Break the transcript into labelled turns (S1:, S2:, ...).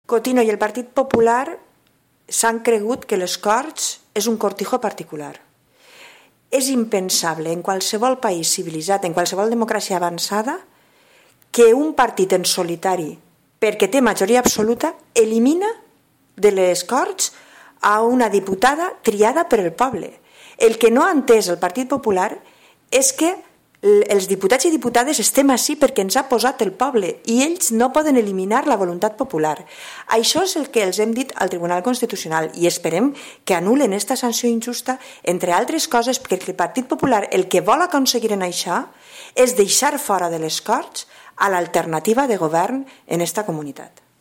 S1: Cotino i el Partit Popular s'han cregut que les Corts és un cortijo particular. És impensable en qualsevol país civilitzat, en qualsevol democràcia avançada, que un partit en solitari, perquè té majoria absoluta, elimina de les Corts a una diputada triada per el poble. El que no ha entès el Partit Popular és que els diputats i diputades estem ací perquè ens ha posat el poble i ells no poden eliminar la voluntat popular. Això és el que els hem dit al Tribunal Constitucional i esperem que anulen aquesta sanció injusta, entre altres coses perquè el Partit Popular el que vol aconseguir en això és deixar fora de les Corts a l'alternativa de govern en esta comunitat.